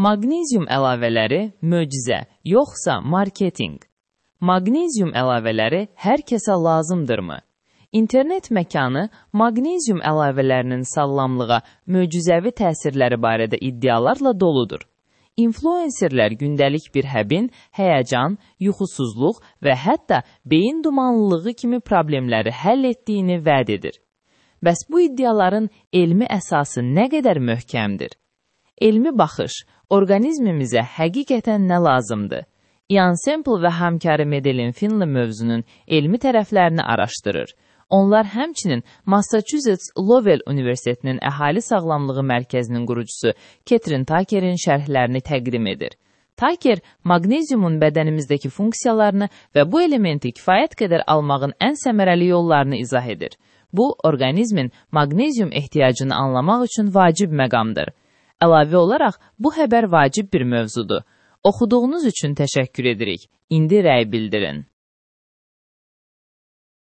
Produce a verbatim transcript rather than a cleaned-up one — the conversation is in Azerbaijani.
Maqnezium əlavələri möcüzə, yoxsa marketinq? Maqnezium əlavələri hər kəsə lazımdırmı? İnternet məkanı maqnezium əlavələrinin sağlamlığa möcüzəvi təsirləri barədə iddialarla doludur. İnfluenserlər gündəlik bir həbin, həyəcan, yuxusuzluq və hətta beyin dumanlılığı kimi problemləri həll etdiyini vəd edir. Bəs bu iddiaların elmi əsası nə qədər möhkəmdir? Elmi baxış, orqanizmimizə həqiqətən nə lazımdır? Ian Semple və həmkarı Madeline Finley mövzunun elmi tərəflərini araşdırır. Onlar həmçinin Massachusetts Lowell Universitetinin Əhali Sağlamlığı Mərkəzinin qurucusu Catherine Tucker'in şərhlərini təqdim edir. Tucker, maqneziumun bədənimizdəki funksiyalarını və bu elementi kifayət qədər almağın ən səmərəli yollarını izah edir. Bu, orqanizmin maqnezium ehtiyacını anlamaq üçün vacib məqamdır. Əlavə olaraq, bu xəbər vacib bir mövzudur. Oxuduğunuz üçün təşəkkür edirik. İndi rəy bildirin.